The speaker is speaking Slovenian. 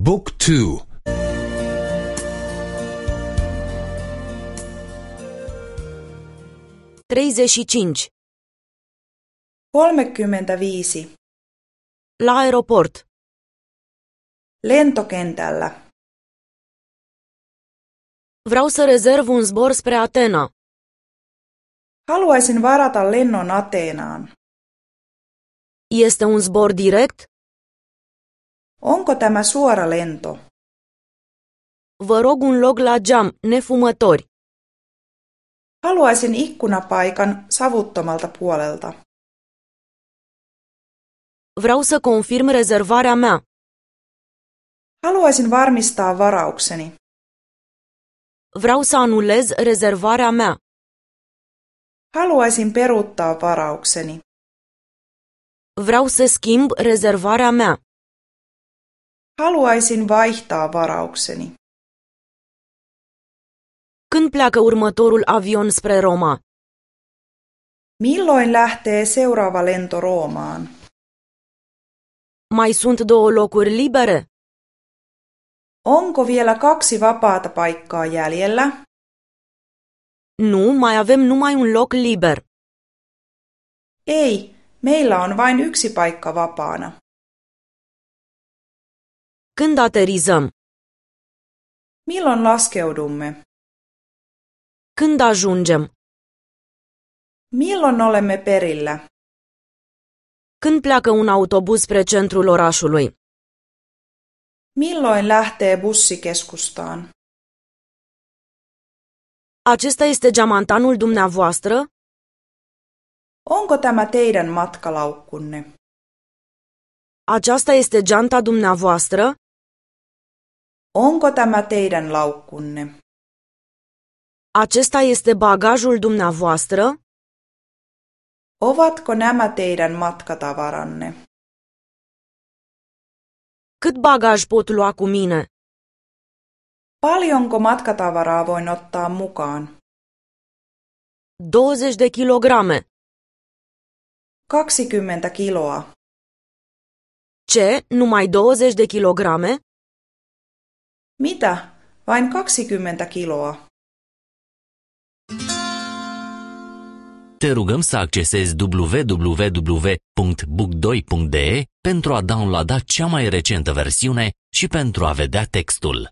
Book 2. 35. 35. La aeroport. Lentokentällä. Vreau să rezerv un zbor spre Atena. Haluaisin varata lennon Ateenaan. Este un zbor direct? Onko tämä suora lento? Vă rog un loc la geam, nefumători. Haluaisin ikkunapaikan savuttomalta puolelta. Vreau să confirm rezervarea mea. Haluaisin varmistaa varaukseni. Vreau să anulez rezervarea mea. Haluaisin peruuttaa varaukseni. Vreau să schimb rezervarea mea. Haluaisin vaihtaa varaukseni. Când pleacă următorul avion spre Roma? Milloin lähtee seuraava lento Roomaan? Mai sunt 2 locuri libere? Onko vielä 2 vapaata paikkaa jäljellä? Nu, mai avem numai un loc liber. Ei, meillä on vain 1 paikka vapaana. Când aterizăm? Milloin laskeudumme? Când ajungem? Milloin olemme perillä? Când pleacă un autobuz spre centrul orașului? Milloin lähtee bussi keskustaan? Acesta este geamantanul dumneavoastră? Onko tämä teidän matkalaukkunne? Aceasta este geanta dumneavoastră? Onko tämä teidän laukkunne? Acesta este bagajul dumneavoastră? Ovatko nämä teidän matkatavaranne? Cât bagaj pot lua cu mine? Paljonko matkatavaraa voin ottaa mukaan? 20 de kilograme. 20 kiloa. Ce? Numai 20 de kilograme? Mitä? Vain 20 kiloa. Te rugăm să accesezi www.book2.de pentru a downloada cea mai recentă versiune și pentru a vedea textul.